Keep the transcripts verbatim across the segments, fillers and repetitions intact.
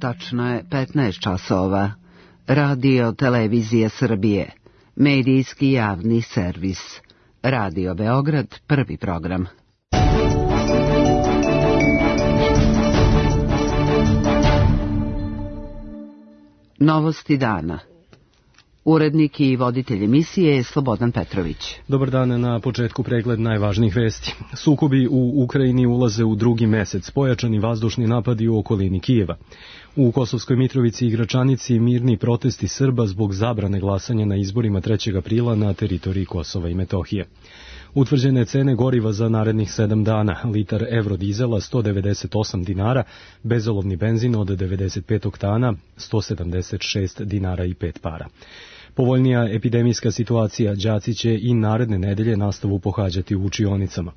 Tačno je petnaest časova. Radio Televizije Srbije. Medijski javni servis. Radio Beograd, prvi program. Novosti dana. Urednik i voditelj emisije je Slobodan Petrović. Dobar dan, na početku pregled najvažnijih vesti. Sukobi u Ukrajini ulaze u drugi mesec, pojačani vazdušni napadi u okolini Kijeva. U Kosovskoj Mitrovici i Gračanici mirni protesti Srba zbog zabrane glasanja na izborima trećeg aprila na teritoriji Kosova i Metohije. Utvrđene cene goriva za narednih sedam dana, litar evrodizela sto devedeset osam dinara, bezolovni benzin od devedeset pet oktana sto sedamdeset šest dinara i pet para. Povoljnija epidemijska situacija, đaci će i naredne nedelje nastavu pohađati u učionicama.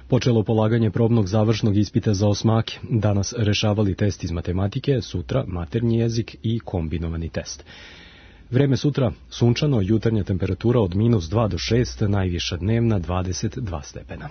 Počelo polaganje probnog završnog ispita za osmake, danas rešavali test iz matematike, sutra maternji jezik i kombinovani test. Vreme sutra sunčano, jutarnja temperatura od minus dva do šest, najviša dnevna dvadeset dva stepena.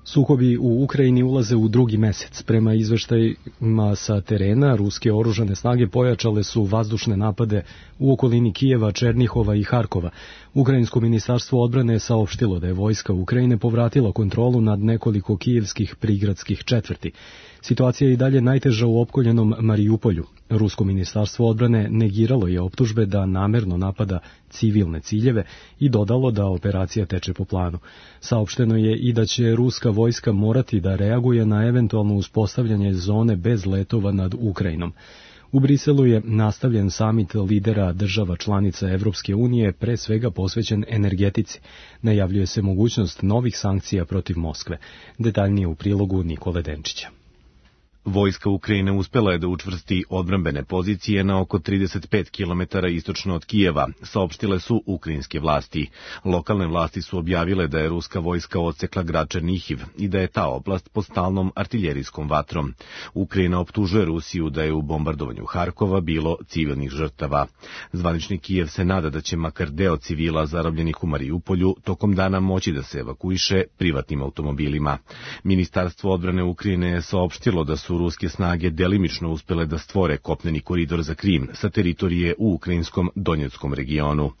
Sukobi u Ukrajini ulaze u drugi mesec. Prema izveštajima sa terena, ruske oružane snage pojačale su vazdušne napade u okolini Kijeva, Černihova i Harkova. Ukrajinsko ministarstvo odbrane je saopštilo da je vojska Ukrajine povratila kontrolu nad nekoliko kijevskih prigradskih četvrti. Situacija je i dalje najteža u opkoljenom Marijupolju. Rusko ministarstvo odbrane negiralo je optužbe da namerno napada civilne ciljeve i dodalo da operacija teče po planu. Saopšteno je i da će ruska vojska morati da reaguje na eventualno uspostavljanje zone bez letova nad Ukrajinom. U Briselu je nastavljen samit lidera država članica Evropske unije, pre svega posvećen energetici. Najavljuje se mogućnost novih sankcija protiv Moskve. Detaljnije u prilogu Nikole Denčića. Vojska Ukrajine uspela je da učvrsti odbrambene pozicije na oko trideset pet kilometara istočno od Kijeva, saopštile su ukrajinske vlasti. Lokalne vlasti su objavile da je ruska vojska odsekla grad Černihiv i da je ta oblast pod stalnom artiljerijskom vatrom. Ukrajina optužuje Rusiju da je u bombardovanju Harkova bilo civilnih žrtava. Zvanični Kijev se nada da će makar deo civila zarobljenih u Marijupolju tokom dana moći da se evakuiše privatnim automobilima. Ministarstvo odbrane Ukrajine je saopštilo da su ruske snage delimično uspele da stvore kopneni koridor za Krim sa teritorije u ukrajinskom Donjeckom regionu.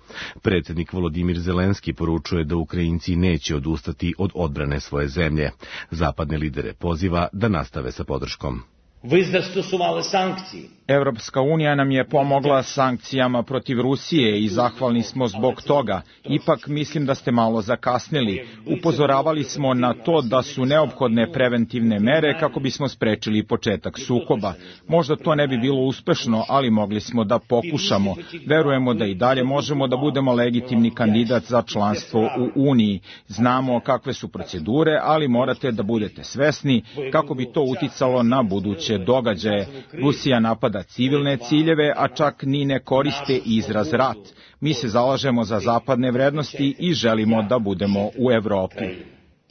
Predsjednik Volodimir Zelenski poručuje da Ukrajinci neće odustati od odbrane svoje zemlje. Zapadne lidere poziva da nastave sa podrškom. Vi zastosovali sankcije. Evropska unija nam je pomogla sankcijama protiv Rusije i zahvalni smo zbog toga. Ipak mislim da ste malo zakasnili. Upozoravali smo na to da su neophodne preventivne mere kako bismo sprečili početak sukoba. Možda to ne bi bilo uspešno, ali mogli smo da pokušamo. Verujemo da i dalje možemo da budemo legitimni kandidat za članstvo u Uniji. Znamo kakve su procedure, ali morate da budete svesni kako bi to uticalo na buduće događaje. Rusija napada civilne ciljeve, a čak ni ne koriste izraz rat. Mi se zalažemo za zapadne vrednosti i želimo da budemo u Evropi.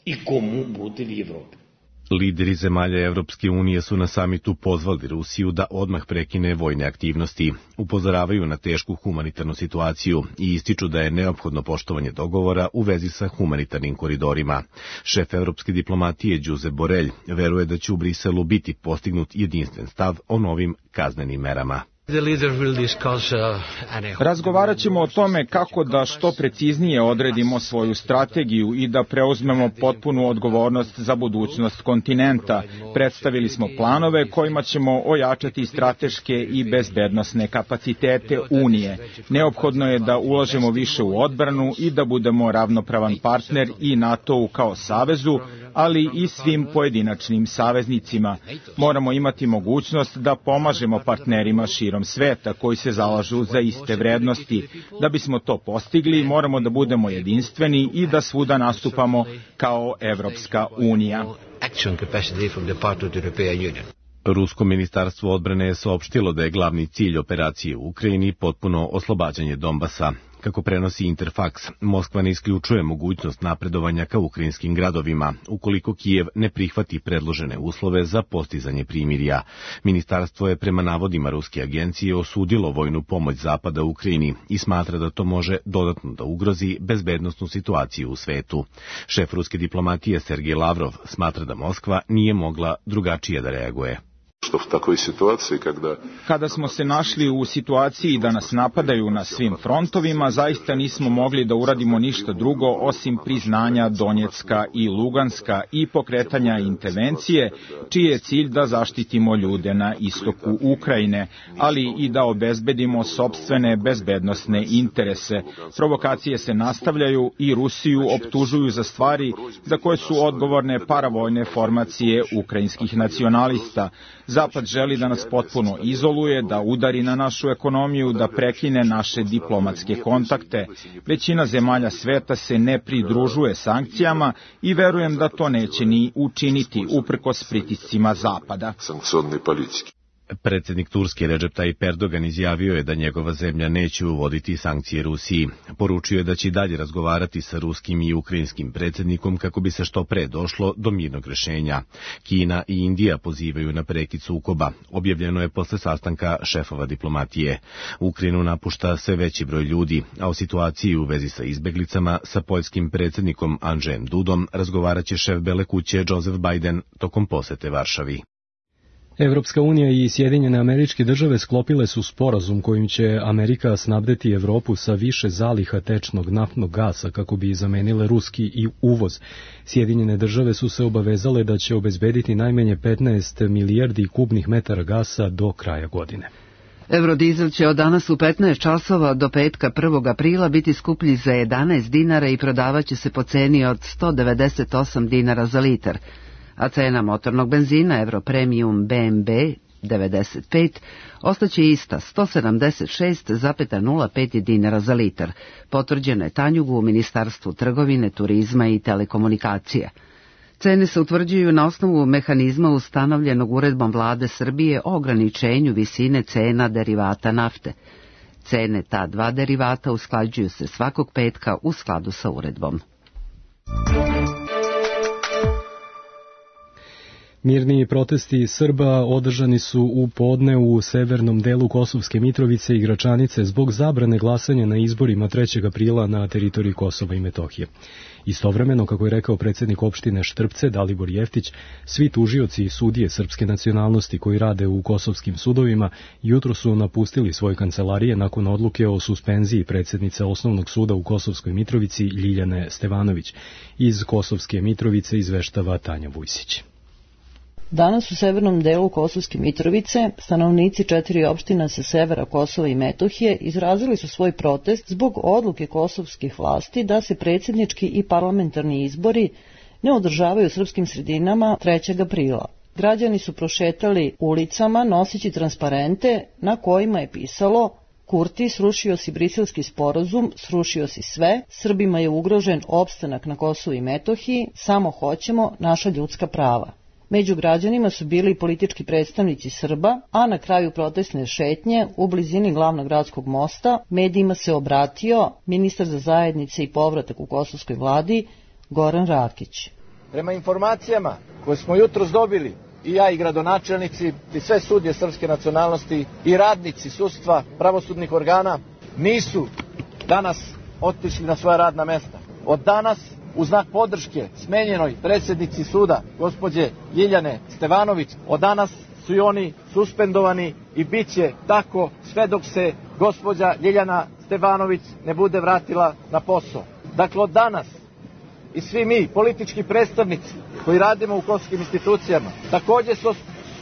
I komu bude u Evropi? Lideri zemalja Evropske unije su na samitu pozvali Rusiju da odmah prekine vojne aktivnosti. Upozoravaju na tešku humanitarnu situaciju i ističu da je neophodno poštovanje dogovora u vezi sa humanitarnim koridorima. Šef evropske diplomatije Josep Borrell veruje da će u Briselu biti postignut jedinstven stav o novim kaznenim merama. Razgovarat ćemo o tome kako da što preciznije odredimo svoju strategiju i da preuzmemo potpunu odgovornost za budućnost kontinenta. Predstavili smo planove kojima ćemo ojačati strateške i bezbednosne kapacitete Unije. Neophodno je da ulažemo više u odbranu i da budemo ravnopravan partner i NATO-u kao savezu, ali i svim pojedinačnim saveznicima. Moramo imati mogućnost da pomažemo partnerima širom sveta koji se zalažu za iste vrednosti. Da bismo to postigli, moramo da budemo jedinstveni i da svuda nastupamo kao Evropska unija. Rusko ministarstvo odbrane je saopštilo da je glavni cilj operacije u Ukrajini potpuno oslobađanje Donbasa. Kako prenosi Interfax, Moskva ne isključuje mogućnost napredovanja ka ukrajinskim gradovima, ukoliko Kijev ne prihvati predložene uslove za postizanje primirja. Ministarstvo je prema navodima ruske agencije osudilo vojnu pomoć Zapada Ukrajini i smatra da to može dodatno da ugrozi bezbednosnu situaciju u svetu. Šef ruske diplomatije Sergej Lavrov smatra da Moskva nije mogla drugačije da reaguje. Kada smo se našli u situaciji da nas napadaju na svim frontovima, zaista nismo mogli da uradimo ništa drugo osim priznanja Donjecka i Luganska i pokretanja intervencije, čiji je cilj da zaštitimo ljude na istoku Ukrajine, ali i da obezbedimo sopstvene bezbednosne interese. Provokacije se nastavljaju i Rusiju optužuju za stvari za koje su odgovorne paravojne formacije ukrajinskih nacionalista. Zapad želi da nas potpuno izoluje, da udari na našu ekonomiju, da prekine naše diplomatske kontakte. Većina zemalja sveta se ne pridružuje sankcijama i verujem da to neće ni učiniti uprkos pritiscima Zapada. Predsjednik Turske Recep Tayyip Erdogan izjavio je da njegova zemlja neće uvoditi sankcije Rusiji. Poručio je da će dalje razgovarati sa ruskim i ukrajinskim predsjednikom kako bi se što pre došlo do mirnog rešenja. Kina i Indija pozivaju na prekid sukoba. Objavljeno je posle sastanka šefova diplomatije. Ukrajinu napušta sve veći broj ljudi, a o situaciji u vezi sa izbeglicama sa poljskim predsjednikom Andžejem Dudom razgovaraće šef Bele kuće Joseph Biden tokom posete Varšavi. Evropska unija i Sjedinjene Američke Države sklopile su sporazum kojim će Amerika snabdeti Evropu sa više zaliha tečnog naftnog gasa kako bi zamenile ruski i uvoz. Sjedinjene Države su se obavezale da će obezbediti najmanje petnaest milijardi kubnih metara gasa do kraja godine. Eurodizel će od danas u petnaest časova do petka prvog aprila biti skuplji za jedanaest dinara i prodavaće se po ceni od sto devedeset osam dinara za litar, a cena motornog benzina Euro Premium B M B devedeset pet ostaće ista sto sedamdeset šest zarez nula pet dinara za litar, potvrđeno je Tanjugu u Ministarstvu trgovine, turizma i telekomunikacija. Cene se utvrđuju na osnovu mehanizma ustanovljenog uredbom Vlade Srbije o ograničenju visine cena derivata nafte. Cene ta dva derivata usklađuju se svakog petka u skladu sa uredbom. Mirni protesti Srba održani su u podne u severnom delu Kosovske Mitrovice i Gračanice zbog zabrane glasanja na izborima trećeg aprila na teritoriji Kosova i Metohije. Istovremeno, kako je rekao predsjednik opštine Štrpce Dalibor Jeftić, svi tužioci i sudije srpske nacionalnosti koji rade u kosovskim sudovima jutro su napustili svoje kancelarije nakon odluke o suspenziji predsjednice Osnovnog suda u Kosovskoj Mitrovici Ljiljane Stevanović. Iz Kosovske Mitrovice izveštava Tanja Vujsić. Danas u severnom delu Kosovske Mitrovice stanovnici četiri opština sa severa Kosova i Metohije izrazili su svoj protest zbog odluke kosovskih vlasti da se predsjednički i parlamentarni izbori ne održavaju u srpskim sredinama trećeg aprila. Građani su prošetali ulicama noseći transparente na kojima je pisalo: Kurti, srušio si Briselski sporazum, srušio si sve, Srbima je ugrožen opstanak na Kosovu i Metohiji, samo hoćemo naša ljudska prava. Među građanima su bili politički predstavnici Srba, a na kraju protestne šetnje u blizini glavnog gradskog mosta medijima se obratio ministar za zajednice i povratak u kosovskoj vladi Goran Rakić. Prema informacijama koje smo jutros dobili, i ja i gradonačelnici i sve sudije srpske nacionalnosti i radnici sudstva, pravosudnih organa nisu danas otišli na svoja radna mesta. Od danas, u znak podrške smenjenoj predsjednici suda, gospođe Ljiljane Stevanović, od danas su i oni suspendovani i bit će tako sve dok se gospođa Ljiljana Stevanović ne bude vratila na posao. Dakle, od danas i svi mi, politički predstavnici koji radimo u kosovskim institucijama, također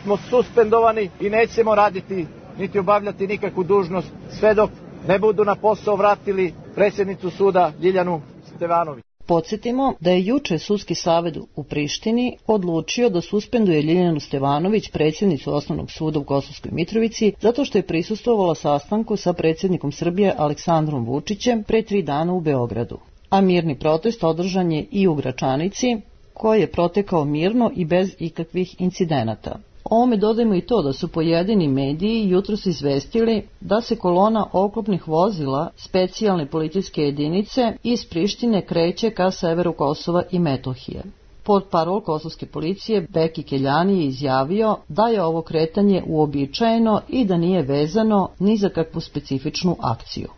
smo suspendovani i nećemo raditi niti obavljati nikakvu dužnost sve dok ne budu na posao vratili predsjednicu suda Ljiljanu Stevanović. Podsjetimo da je juče Sudski savet u Prištini odlučio da suspenduje Ljiljanu Stevanović, predsjednicu Osnovnog suda u Kosovskoj Mitrovici, zato što je prisustvovala sastanku sa predsjednikom Srbije Aleksandrom Vučićem pre tri dana u Beogradu. A mirni protest održan je i u Gračanici, koji je protekao mirno i bez ikakvih incidenata. Ovome dodajmo i to da su pojedini mediji jutros izvestili da se kolona oklopnih vozila specijalne policijske jedinice iz Prištine kreće ka severu Kosova i Metohije. Portparol kosovske policije Beki Keljani je izjavio da je ovo kretanje uobičajeno i da nije vezano ni za kakvu specifičnu akciju.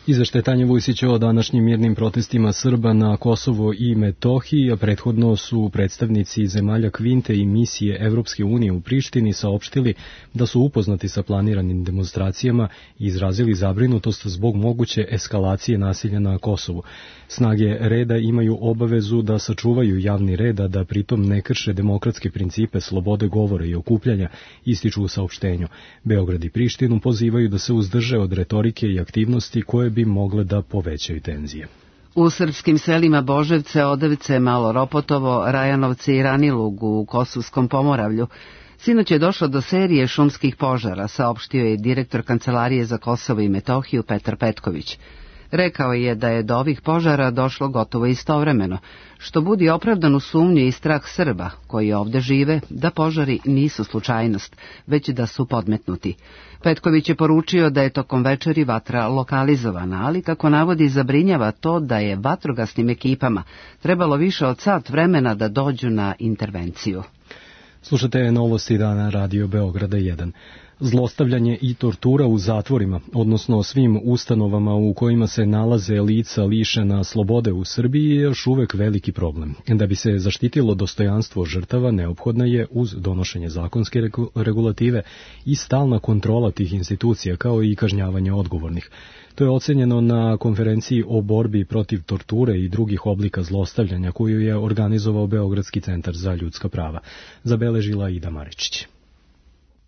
Izveštaj Tanje Vujsića o današnjim mirnim protestima Srba na Kosovo i Metohiji, a prethodno su predstavnici zemalja Kvinte i misije Evropske unije u Prištini saopštili da su upoznati sa planiranim demonstracijama i izrazili zabrinutost zbog moguće eskalacije nasilja na Kosovu. Snage reda imaju obavezu da sačuvaju javni red, a da pritom ne krše demokratske principe slobode govora i okupljanja, ističu u saopštenju. Beograd i Prištinu pozivaju da se uzdrže od retorike i aktivnosti koje bi mogle da povećaju tenzije. U srpskim selima Boževce, Odevce, Malo Ropotovo, Rajanovce i Ranilug u Kosovskom Pomoravlju sinoć je došlo do serije šumskih požara, saopštio je direktor Kancelarije za Kosovo i Metohiju Petar Petković. Rekao je da je do ovih požara došlo gotovo istovremeno, što budi opravdanu sumnju i strah Srba koji ovde žive da požari nisu slučajnost, već da su podmetnuti. Petković je poručio da je tokom večeri vatra lokalizovana, ali kako navodi zabrinjava to da je vatrogasnim ekipama trebalo više od sat vremena da dođu na intervenciju. Slušate novosti dana Radio Beograda jedan. Zlostavljanje i tortura u zatvorima, odnosno svim ustanovama u kojima se nalaze lica lišena slobode u Srbiji, je još uvek veliki problem. Da bi se zaštitilo dostojanstvo žrtava, neophodna je uz donošenje zakonske regulative i stalna kontrola tih institucija, kao i kažnjavanje odgovornih. To je ocenjeno na konferenciji o borbi protiv torture i drugih oblika zlostavljanja koju je organizovao Beogradski centar za ljudska prava. Zabeležila Ida Maričić.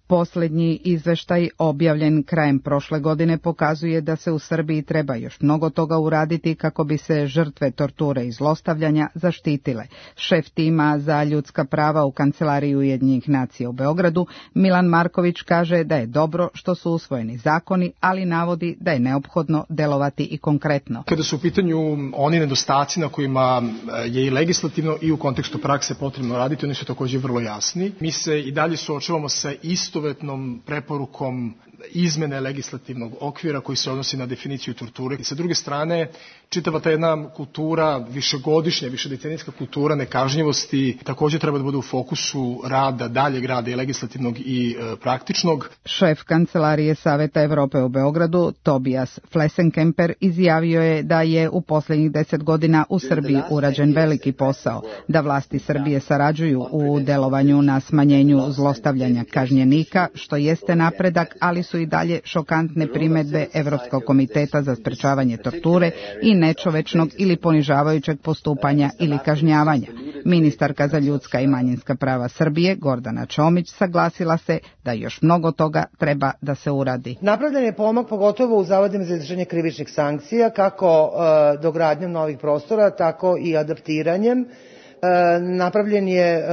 Poslednji izveštaj objavljen krajem prošle godine pokazuje da se u Srbiji treba još mnogo toga uraditi kako bi se žrtve torture i zlostavljanja zaštitile. Šef tima za ljudska prava u Kancelariji Ujedinjenih nacija u Beogradu, Milan Marković, kaže da je dobro što su usvojeni zakoni, ali navodi da je neophodno delovati i konkretno. Kada su u pitanju oni nedostaci na kojima je i legislativno i u kontekstu prakse potrebno raditi, oni su također vrlo jasni. Mi se i dalje suočavamo sa isto istovetnom preporukom izmene legislativnog okvira koji se odnosi na definiciju torture. I sa druge strane, čitava ta jedna kultura, višegodišnja, višedecenijska kultura nekažnjivosti također treba da bude u fokusu rada, daljeg rada i legislativnog i e, praktičnog. Šef Kancelarije Saveta Evrope u Beogradu, Tobias Flesenkemper, izjavio je da je u poslednjih deset godina u Srbiji urađen veliki posao, da vlasti Srbije sarađuju u delovanju na smanjenju zlostavljanja kažnjenika, što jeste napredak, ali su i dalje šokantne primedbe Evropskog komiteta za sprečavanje torture i nečovečnog ili ponižavajućeg postupanja ili kažnjavanja. Ministarka za ljudska i manjinska prava Srbije, Gordana Čomić, saglasila se da još mnogo toga treba da se uradi. Napravljen je pomak pogotovo u zavodima za izvršenje krivičnih sankcija, kako e, dogradnjom novih prostora, tako i adaptiranjem. E, napravljen je e,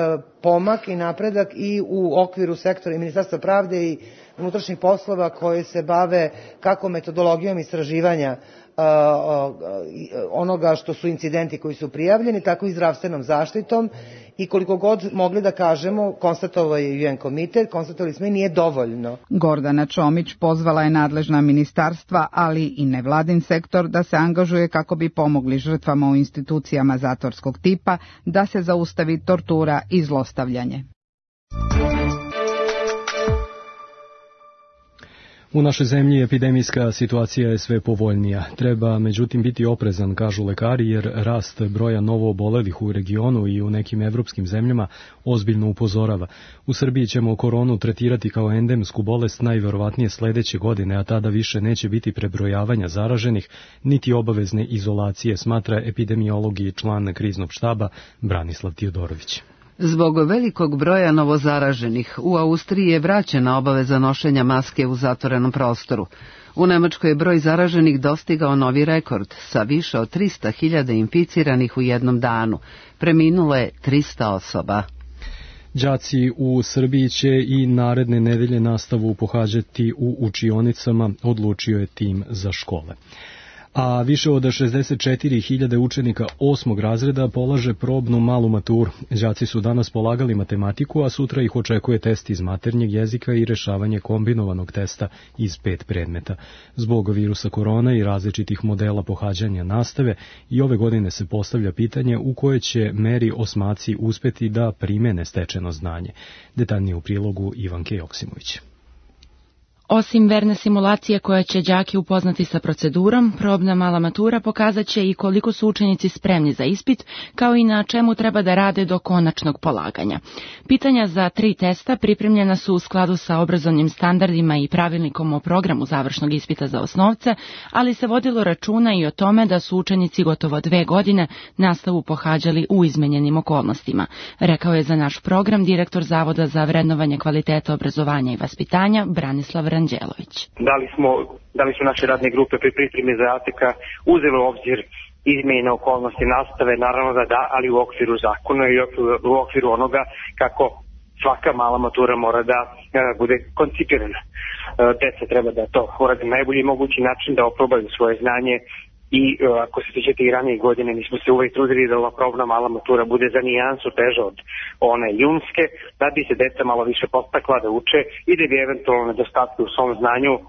pomak i napredak i u okviru sektora i Ministarstva pravde i unutrašnjih poslova koje se bave kako metodologijom istraživanja uh, uh, onoga što su incidenti koji su prijavljeni, tako i zdravstvenom zaštitom i koliko god mogli da kažemo, konstatovao je U N komitet, konstatovali smo i nije dovoljno. Gordana Čomić pozvala je nadležna ministarstva, ali i nevladin sektor da se angažuje kako bi pomogli žrtvama u institucijama zatvorskog tipa da se zaustavi tortura i zlostavljanje. U našoj zemlji epidemijska situacija je sve povoljnija. Treba međutim biti oprezan, kažu lekari, jer rast broja novoobolelih u regionu i u nekim evropskim zemljama ozbiljno upozorava. U Srbiji ćemo koronu tretirati kao endemsku bolest najverovatnije sledeće godine, a tada više neće biti prebrojavanja zaraženih, niti obavezne izolacije, smatra epidemiolog i član kriznog štaba Branislav Tiodorović. Zbog velikog broja novozaraženih, u Austriji je vraćena obaveza nošenja maske u zatvorenom prostoru. U Nemačkoj je broj zaraženih dostigao novi rekord, sa više od trista hiljada inficiranih u jednom danu. Preminulo je trista osoba. Đaci u Srbiji će i naredne nedelje nastavu pohađati u učionicama, odlučio je tim za škole. A više od šezdeset četiri hiljade učenika osmog razreda polaže probnu malu maturu. Đaci su danas polagali matematiku, a sutra ih očekuje test iz maternjeg jezika i rešavanje kombinovanog testa iz pet predmeta. Zbog virusa korona i različitih modela pohađanja nastave i ove godine se postavlja pitanje u kojoj će meri osmaci uspeti da primene stečeno znanje. Detaljnije u prilogu Ivanke Joksimović. Osim verne simulacije koja će đake upoznati sa procedurom, probna mala matura pokazat će i koliko su učenici spremni za ispit, kao i na čemu treba da rade do konačnog polaganja. Pitanja za tri testa pripremljena su u skladu sa obrazovnim standardima i pravilnikom o programu završnog ispita za osnovce, ali se vodilo računa i o tome da su učenici gotovo dve godine nastavu pohađali u izmenjenim okolnostima, rekao je za naš program direktor Zavoda za vrednovanje kvaliteta obrazovanja i vaspitanja Branislav Ranđelović. Da li smo, da li su naše radne grupe pri pripremi zadatka uzeli u obzir izmjene okolnosti nastave? Naravno da da, ali u okviru zakona i u okviru onoga kako svaka mala matura mora da e, bude koncipirana. E, deca treba da to urade na najbolji mogući način, da oprobaju svoje znanje i e, ako se sjećate i ranije godine, mi smo se uvijek trudili da ova probna mala matura bude za nijansu teža od one junske, da bi se deca malo više postakla da uče i da bi eventualno nedostatke u svom znanju e,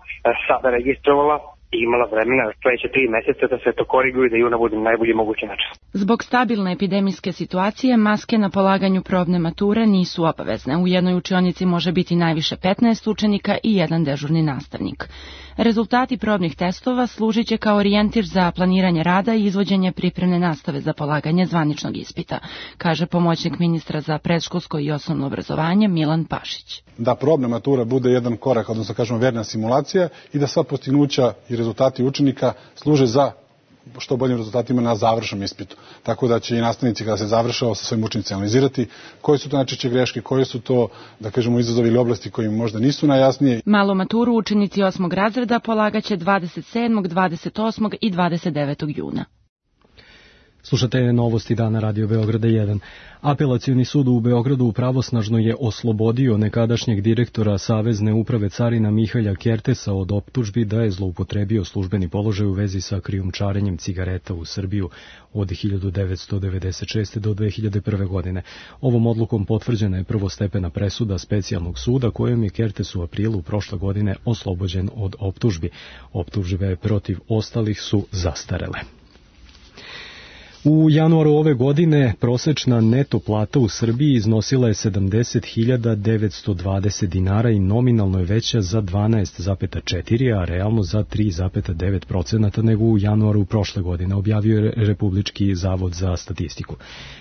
sada registrovala i imala vremena sledeće tri meseca da se to koriguju i da juna bude na najbolji mogući način. Zbog stabilne epidemijske situacije, maske na polaganju probne mature nisu obavezne. U jednoj učionici može biti najviše petnaest učenika i jedan dežurni nastavnik. Rezultati probnih testova služit će kao orijentir za planiranje rada i izvođenje pripremne nastave za polaganje zvaničnog ispita, kaže pomoćnik ministra za predškolsko i osnovno obrazovanje Milan Pašić. Da probna matura bude jedan korak, odnosno kažemo verna simulacija i da sva postignuća i rezultati učenika služe za što boljim rezultatima na završnom ispitu. Tako da će i nastavnici kada se završava sa svojim učenicima analizirati koje su to najčešće greške, koje su to, da kažemo, izazovi ili oblasti koji možda nisu najjasnije. Malu maturu učenici osmog razreda polagaće dvadeset sedmog, dvadeset osmog i dvadeset devetog juna. Slušate novosti dana Radio Beograda jedan. Apelacioni sud u Beogradu pravosnažno je oslobodio nekadašnjeg direktora Savezne uprave carina Mihalja Kertesa od optužbi da je zloupotrebio službeni položaj u vezi sa krijumčarenjem cigareta u Srbiju od hiljadu devetsto devedeset šeste. do dve hiljade prve. godine. Ovom odlukom potvrđena je prvostepena presuda specijalnog suda kojom je Kertes u aprilu prošle godine oslobođen od optužbi. Optužbe protiv ostalih su zastarele. U januaru ove godine prosečna neto plata u Srbiji iznosila je sedamdeset hiljada devetsto dvadeset dinara i nominalno je veća za dvanaest zarez četiri, a realno za tri zarez devet posto nego u januaru prošle godine, objavio je Republički zavod za statistiku.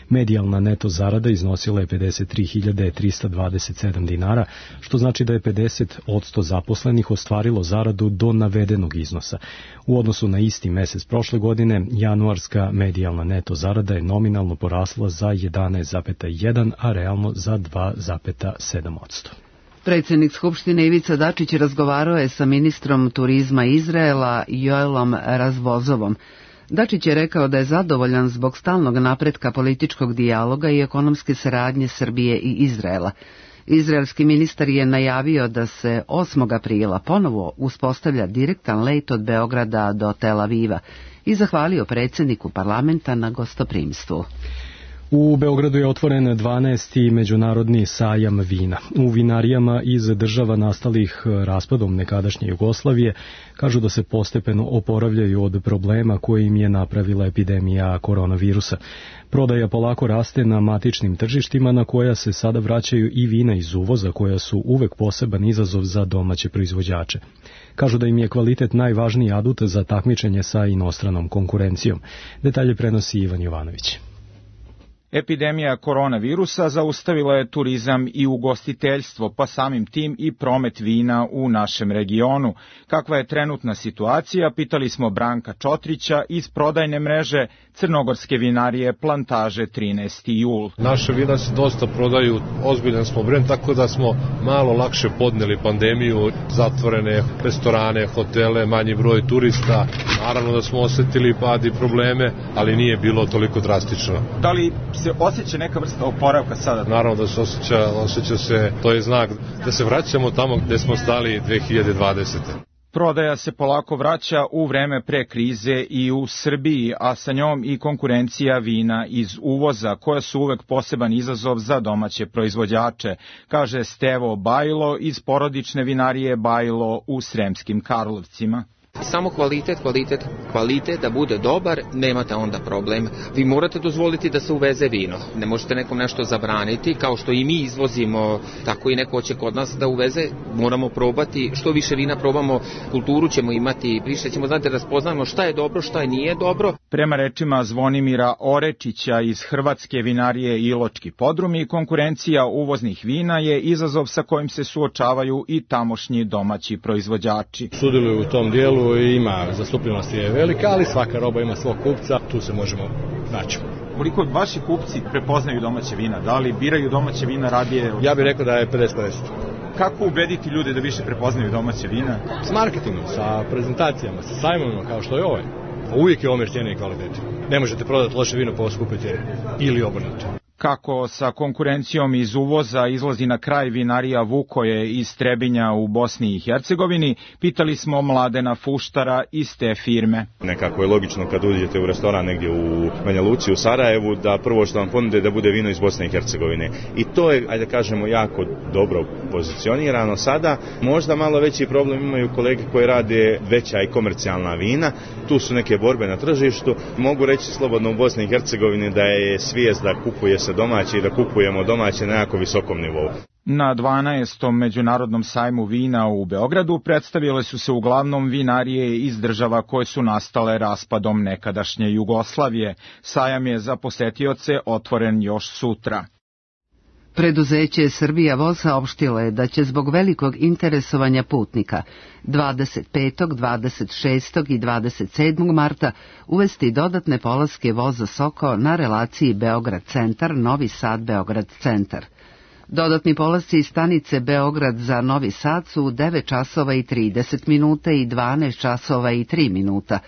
Medijalna neto zarada iznosila je pedeset tri hiljade trista dvadeset sedam dinara, što znači da je pedeset posto zaposlenih ostvarilo zaradu do navedenog iznosa. U odnosu na isti mesec prošle godine, januarska medijalna neto zarada je nominalno porasla za jedanaest zarez jedan, a realno za dva zarez sedam posto. Predsjednik Skupštine Ivica Dačić razgovarao je sa ministrom turizma Izraela Joelom Razvozovom. Dačić je rekao da je zadovoljan zbog stalnog napretka političkog dijaloga i ekonomske saradnje Srbije i Izraela. Izraelski ministar je najavio da se osmog aprila ponovo uspostavlja direktan let od Beograda do Tel Aviva i zahvalio predsjedniku parlamenta na gostoprimstvu. U Beogradu je otvoren dvanaesti međunarodni sajam vina. U vinarijama iz država nastalih raspadom nekadašnje Jugoslavije kažu da se postepeno oporavljaju od problema koje im je napravila epidemija koronavirusa. Prodaja polako raste na matičnim tržištima na koja se sada vraćaju i vina iz uvoza koja su uvek poseban izazov za domaće proizvođače. Kažu da im je kvalitet najvažniji adut za takmičenje sa inostranom konkurencijom. Detalje prenosi Ivan Jovanović. Epidemija koronavirusa zaustavila je turizam i ugostiteljstvo, pa samim tim i promet vina u našem regionu. Kakva je trenutna situacija, pitali smo Branka Čotrića iz prodajne mreže crnogorske vinarije Plantaže trinaesti jul. Naše vina se dosta prodaju, ozbiljan smo brend, tako da smo malo lakše podneli pandemiju, zatvorene restorane, hotele, manji broj turista. Naravno da smo osetili pad i probleme, ali nije bilo toliko drastično. Da li se osjeća neka vrsta oporavka sada? Naravno da se osjeća, osjeća se, to je znak da se vraćamo tamo gde smo stali dve hiljade dvadesete. Prodaja se polako vraća u vreme pre krize i u Srbiji, a sa njom i konkurencija vina iz uvoza, koja su uvek poseban izazov za domaće proizvođače, kaže Stevo Bajlo iz porodične vinarije Bajlo u Sremskim Karlovcima. Samo kvalitet, kvalitet, kvalitet da bude dobar, nemate onda problem. Vi morate dozvoliti da se uveze vino. Ne možete nekom nešto zabraniti, kao što i mi izvozimo, tako i neko će kod nas da uveze. Moramo probati, što više vina probamo, kulturu ćemo imati, više ćemo znati da raspoznamo šta je dobro, šta je nije dobro. Prema rečima Zvonimira Orečića iz Hrvatske vinarije Iločki podrumi, konkurencija uvoznih vina je izazov sa kojim se suočavaju i tamošnji domaći proizvođači. Sudjeluju u tom dijelu i ima zastupljenost je velika, ali svaka roba ima svog kupca, tu se možemo naći. Koliko vaši kupci prepoznaju domaće vina? Da li biraju domaće vina radije? Ja bih rekao da je pedeset pedeset. Kako ubediti ljude da više prepoznaju domaće vina? S marketingom, sa prezentacijama, sa sajmovima kao što je ovaj. Uvijek je omjer cijene i kvalitete. Ne možete prodati loše vino po skupoj cijeni ili obrnuto. Kako sa konkurencijom iz uvoza izlazi na kraj vinarija Vukoje iz Trebinja u Bosni i Hercegovini, pitali smo Mladena Fuštara iz te firme. Nekako je logično kad uđete u restoran negdje u Banja Luci, u Sarajevu, da prvo što vam ponude da bude vino iz Bosne i Hercegovine. I to je, ajde kažemo, jako dobro pozicionirano sada. Možda malo veći problem imaju kolege koji rade veća i komercijalna vina. Tu su neke borbe na tržištu. Mogu reći slobodno u Bosni i Hercegovini da je svijest da kupuje se domaći i da kupujemo domaće na jako visokom nivou. Na dvanaestom međunarodnom sajmu vina u Beogradu predstavile su se uglavnom vinarije iz država koje su nastale raspadom nekadašnje Jugoslavije. Sajam je za posetioce otvoren još sutra. Preduzeće Srbija voz saopštilo je da će zbog velikog interesovanja putnika dvadeset petog, dvadeset šestog i dvadeset sedmog marta uvesti dodatne polaske voza Soko na relaciji Beograd-Centar, Novi Sad-Beograd-Centar. Dodatni polasci iz stanice Beograd za Novi Sad su u devet časova i trideset minuta i dvanaest časova i tri minuta,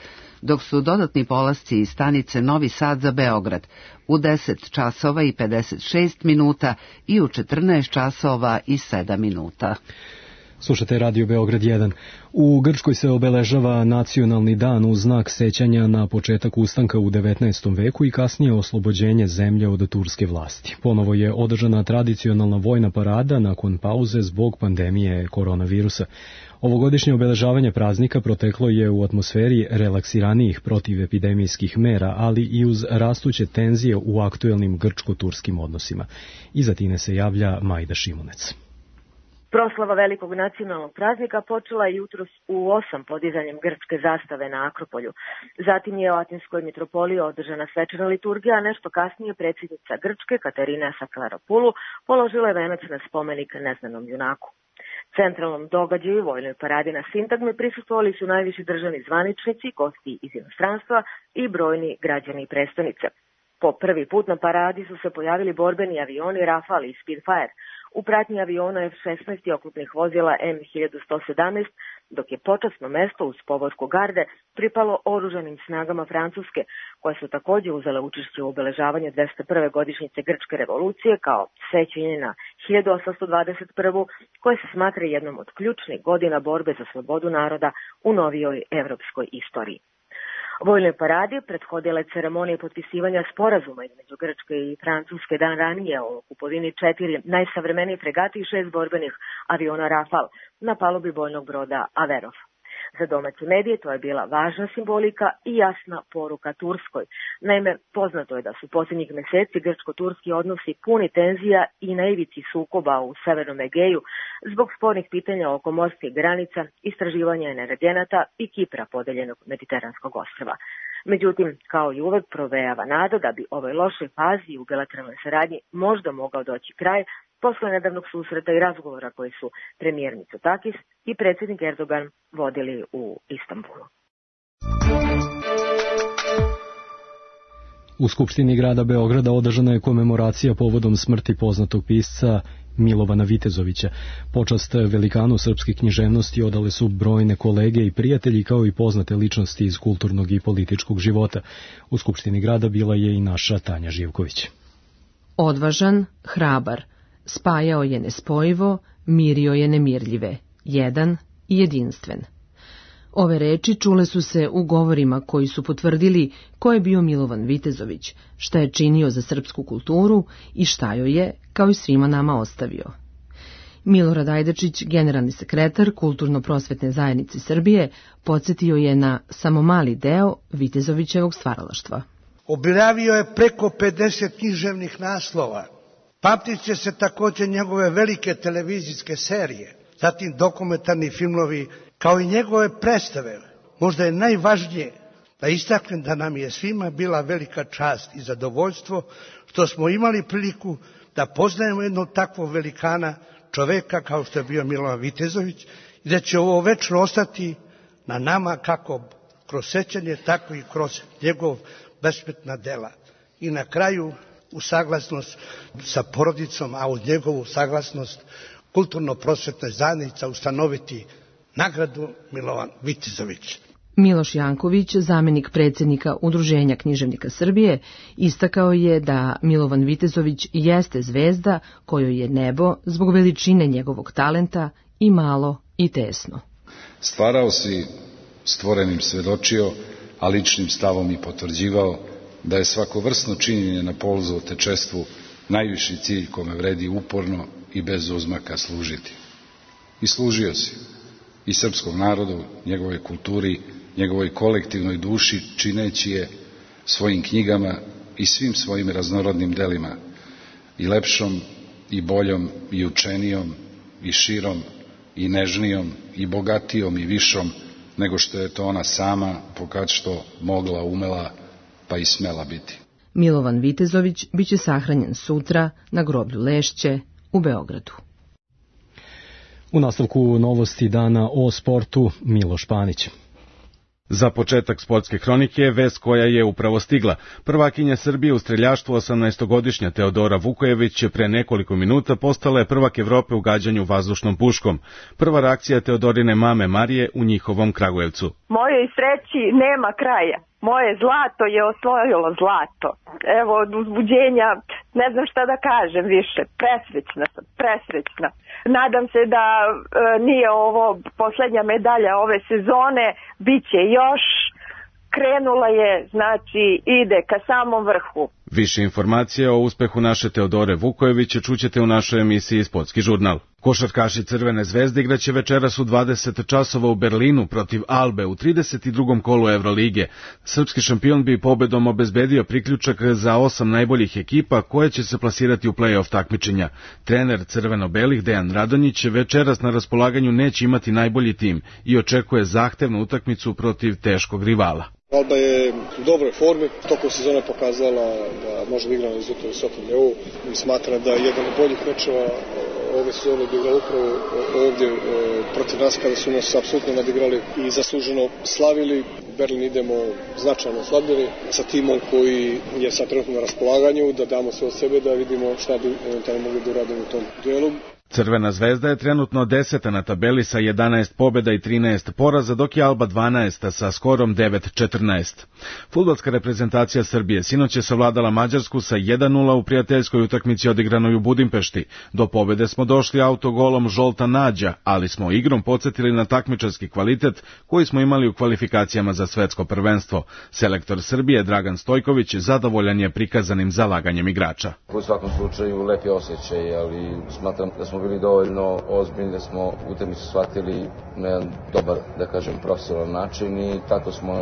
dok su dodatni polasci iz stanice Novi Sad za Beograd u deset časova i pedeset šest minuta i u četrnaest časova i sedam minuta. Slušate Radio Beograd jedan. U Grčkoj se obeležava nacionalni dan u znak sećanja na početak ustanka u devetnaestom veku i kasnije oslobođenje zemlje od turske vlasti. Ponovo je održana tradicionalna vojna parada nakon pauze zbog pandemije koronavirusa. Ovogodišnje obeležavanje praznika proteklo je u atmosferi relaksiranijih protivepidemijskih mera, ali i uz rastuće tenzije u aktuelnim grčko-turskim odnosima. Iza Tine se javlja Majda Šimunec. Proslava velikog nacionalnog praznika počela je jutros u osam podizanjem grčke zastave na Akropolju. Zatim je u Atinskoj mitropoliji održana svečana liturgija, a nešto kasnije predsjednica Grčke Katarina Saklaropoulou položila je venac na spomenik neznanom junaku. Centralnom događaju vojnoj paradi na Sintagmi prisustvovali su najviši državni zvaničnici, gosti iz inostranstva i brojni građani prestonice. Po prvi put na paradi su se pojavili borbeni avioni Rafale i Spitfire, u pratnji aviona F šesnaest i oklopnih vozila M hiljadu sto sedamnaest, dok je počasno mesto uz povorku garde pripalo oružanim snagama Francuske, koje su također uzele učešće u obeležavanju dvesta prve godišnjice Grčke revolucije kao sećanje na hiljadu osamsto dvadeset prvu, koje se smatra jednom od ključnih godina borbe za slobodu naroda u novijoj evropskoj istoriji. Vojnoj paradi prethodila je ceremonija potpisivanja sporazuma između Grčke i Francuske dan ranije o kupovini četiri najsavremenije fregate i šest borbenih aviona Rafale na palubi bojnog broda Averov. Za domaće medije to je bila važna simbolika i jasna poruka Turskoj. Naime, poznato je da su posljednjih mjeseci grčko-turski odnosi puni tenzija i na ivici sukoba u Severnom Egeju zbog spornih pitanja oko morskih granica, istraživanja energenata i Kipra podeljenog mediteranskog ostrva. Međutim, kao i uvek provejava nada da bi ovoj lošoj fazi u bilateralnoj saradnji možda mogao doći kraj posle nedavnog susreta i razgovora koji su premijer Mitsotakis i predsjednik Erdogan vodili u Istanbulu. U Skupštini grada Beograda održana je komemoracija povodom smrti poznatog pisca Milovana Vitezovića. Počast velikanu srpske književnosti odale su brojne kolege i prijatelji kao i poznate ličnosti iz kulturnog i političkog života. U Skupštini grada bila je i naša Tanja Živković. Odvažan, hrabar, spajao je nespojivo, mirio je nemirljive, jedan i jedinstven. Ove reči čule su se u govorima koji su potvrdili ko je bio Milovan Vitezović, šta je činio za srpsku kulturu i šta joj je, kao i svima nama, ostavio. Milorad Ajdačić, generalni sekretar Kulturno-prosvetne zajednice Srbije, podsjetio je na samo mali deo Vitezovićevog stvaralaštva. Objavio je preko pedeset književnih naslova. Pamtit će se također njegove velike televizijske serije, zatim dokumentarni filmovi, kao i njegove predstave. Možda je najvažnije da istaknem da nam je svima bila velika čast i zadovoljstvo što smo imali priliku da poznajemo jednog takvog velikana, čoveka kao što je bio Milovan Vitezović, i da će ovo večno ostati na nama kako kroz sećanje, tako i kroz njegov besmetna dela. I na kraju, u saglasnost sa porodicom, a uz njegovu saglasnost Kulturno-prosvetna zajednica ustanoviti nagradu Milovan Vitezović. Miloš Janković, zamenik predsjednika Udruženja književnika Srbije, istakao je da Milovan Vitezović jeste zvezda kojoj je nebo zbog veličine njegovog talenta i malo i tesno. Stvarao si, stvorenim svedočio, a ličnim stavom i potvrđivao da je svako vrsno činjenje na polzu otečestvu najviši cilj kome vredi uporno i bez uzmaka služiti. I služio si i srpskom narodu, njegovoj kulturi, njegovoj kolektivnoj duši, čineći je svojim knjigama i svim svojim raznorodnim delima, i lepšom, i boljom, i učenijom, i širom, i nežnijom, i bogatijom, i višom, nego što je to ona sama, pokad što mogla, umela, pa i smela biti. Milovan Vitezović biće sahranjen sutra na groblju Lešće u Beogradu. U nastavku novosti dana o sportu, Miloš Panić. Za početak sportske hronike je vest koja je upravo stigla. Prvakinja Srbije u streljaštvu osamnaestogodišnja Teodora Vukojević pre nekoliko minuta postala je prvak Evrope u gađanju vazdušnom puškom. Prva reakcija Teodorine mame Marije u njihovom Kragujevcu. Mojoj sreći nema kraja. Moje zlato je osvojilo zlato. Evo, od uzbuđenja ne znam šta da kažem više. Presrećna sam, presrećna. Nadam se da e, nije ovo poslednja medalja ove sezone, bit će još. Krenula je, znači ide ka samom vrhu. Više informacije o uspehu naše Teodore Vukojević čućete u našoj emisiji Sportski žurnal. Košarkaši Crvene zvezde igraće večeras u dvadeset časova u Berlinu protiv Albe u trideset drugom kolu Evrolige. Srpski šampion bi pobedom obezbedio priključak za osam najboljih ekipa koje će se plasirati u play-off takmičenja. Trener crveno-belih Dejan Radonjić večeras na raspolaganju neće imati najbolji tim i očekuje zahtevnu utakmicu protiv teškog rivala. Alba je u dobroj formi, tokom sezone pokazala da može da igra na izuzetno visokom nivou i smatra da je jedan od boljih mečeva ove sezone bi igrao upravo ovdje protiv nas kada su nas apsolutno nadigrali i zasluženo slavili. U Berlin idemo značajno oslabljeni sa timom koji je sad trenutno na raspolaganju, da damo sve od sebe da vidimo šta bi eventualno mogli da uradimo u tom duelu. Crvena zvezda je trenutno deseta na tabeli sa jedanaest pobjeda i trinaest poraza, dok je Alba dvanaesta sa skorom devet četrnaest. Fudbalska reprezentacija Srbije sinoć je savladala Mađarsku sa jedan nula u prijateljskoj utakmici odigranoj u Budimpešti. Do pobjede smo došli autogolom Žolta Nađa, ali smo igrom podsjetili na takmičarski kvalitet koji smo imali u kvalifikacijama za svetsko prvenstvo. Selektor Srbije Dragan Stojković zadovoljan je prikazanim zalaganjem igrača. U svakom slučaju lepi osjećaj, ali smatram da smo bili dovoljno ozbiljni, da smo utakmicu shvatili na jedan dobar, da kažem, profesionalan način i tako smo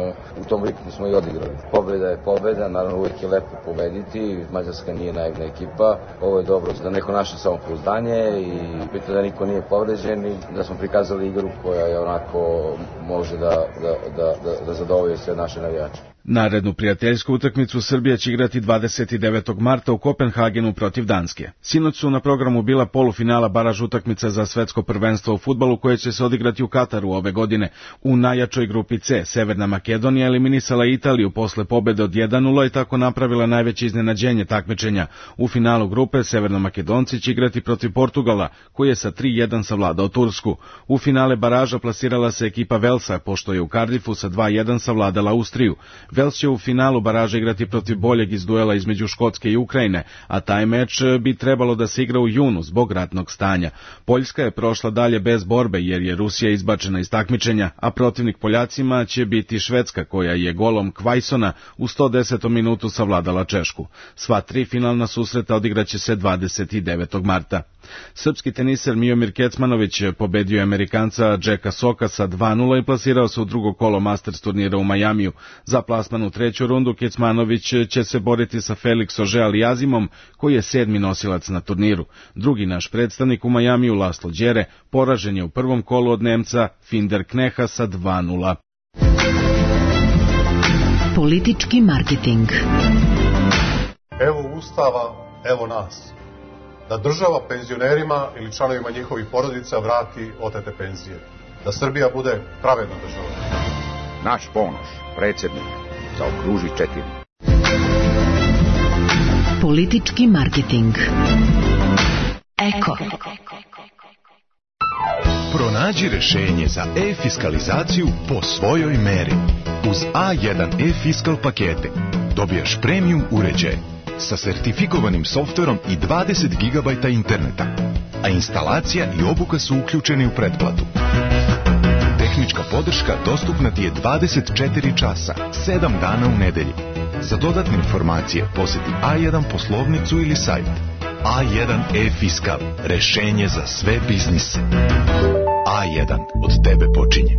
u tom ritmu smo i odigrali. Pobjeda je pobjeda, naravno uvijek je lepo pobediti, Mađarska nije naivna ekipa, ovo je dobro za neko naše samopouzdanje i bitno da niko nije povređen i da smo prikazali igru koja je onako može da, da, da, da, da zadovolji sve naše navijače. Narednu prijateljsku utakmicu Srbija će igrati dvadeset devetog marta u Kopenhagenu protiv Danske. Sinoć su na programu bila polufinala baraž utakmica za svetsko prvenstvo u fudbalu koje će se odigrati u Kataru ove godine. U najjačoj grupi C Severna Makedonija eliminisala Italiju posle pobede od jedan nula i tako napravila najveće iznenađenje takmičenja. U finalu grupe Severnomakedonci će igrati protiv Portugala, koji je sa tri jedan savladao Tursku. U finale baraža plasirala se ekipa Velsa, pošto je u Cardiffu sa dva jedan savladala Austriju. Vels će u finalu baraže igrati protiv boljeg iz duela između Škotske i Ukrajine, a taj meč bi trebalo da se igra u junu zbog ratnog stanja. Poljska je prošla dalje bez borbe jer je Rusija izbačena iz takmičenja, a protivnik Poljacima će biti Švedska koja je golom Kvajsona u sto desetom minutu savladala Češku. Sva tri finalna susreta odigraće se dvadeset devetog marta. Srpski teniser Miomir Kecmanović pobedio je Amerikanca Jacka Soka sa dva nula i plasirao se u drugo kolo Masters turnira u Majamiju. Za plasman u treću rundu Kecmanović će se boriti sa Felix Auger-Aliassimom, koji je sedmi nosilac na turniru. Drugi naš predstavnik u Majamiju, Laslo Đere, poražen je u prvom kolu od Nemca Finder Kneha sa dva nula. Politički marketing. Evo Ustava, evo nas. Da država penzionerima ili članovima njihovih porodica vrati otete penzije. Da Srbija bude pravedna država. Naš Ponoš, predsjednik, zaokruži četiri. Politički marketing. Eko. Pronađi rešenje za e-fiskalizaciju po svojoj meri. Uz A jedan e-fiskal pakete dobijaš premium uređaj sa sertifikovanim softverom i dvadeset gigabajta interneta, a instalacija i obuka su uključeni u pretplatu. Tehnička podrška dostupna ti je dvadeset četiri časa, sedam dana u nedelji. Za dodatne informacije poseti A jedan poslovnicu ili sajt. A jedan e-fiskal, rešenje za sve biznise. A jedan, od tebe počinje.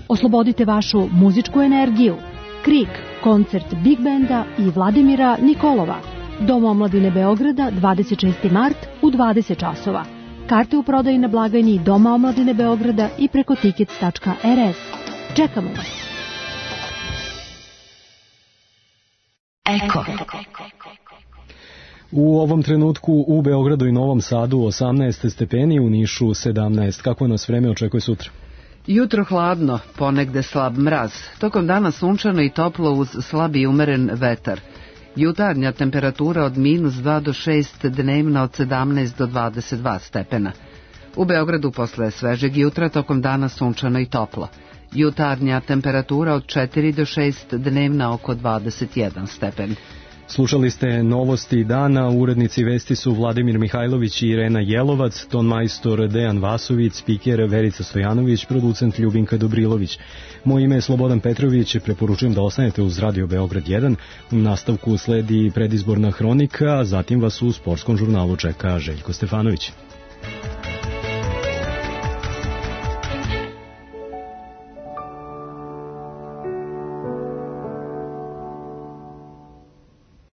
Oslobodite vašu muzičku energiju. Krik, koncert Big Benda i Vladimira Nikolova. Dom omladine Beograda, dvadeset šesti mart u dvadeset časova. Karte u prodaji na blagajni Doma omladine Beograda i preko tickets tačka er es. Čekamo vas. Eko. U ovom trenutku u Beogradu i Novom Sadu osamnaest stepeni, u Nišu sedamnaest. Kako nas vreme očekuje sutra? Jutro hladno, ponegde slab mraz. Tokom dana sunčano i toplo uz slab i umeren vetar. Jutarnja temperatura od minus dva do šest, dnevna od sedamnaest do dvadeset dva stepena. U Beogradu posle svežeg jutra tokom dana sunčano i toplo. Jutarnja temperatura od četiri do šest, dnevna oko dvadeset jedan stepen. Slušali ste novosti dana, urednici vesti su Vladimir Mihajlović i Irena Jelovac, tonmajstor Dejan Vasović, spiker Verica Stojanović, producent Ljubinka Dobrilović. Moje ime je Slobodan Petrović, preporučujem da ostanete uz Radio Beograd jedan. U nastavku sledi predizborna hronika, a zatim vas u sportskom žurnalu čeka Željko Stefanović.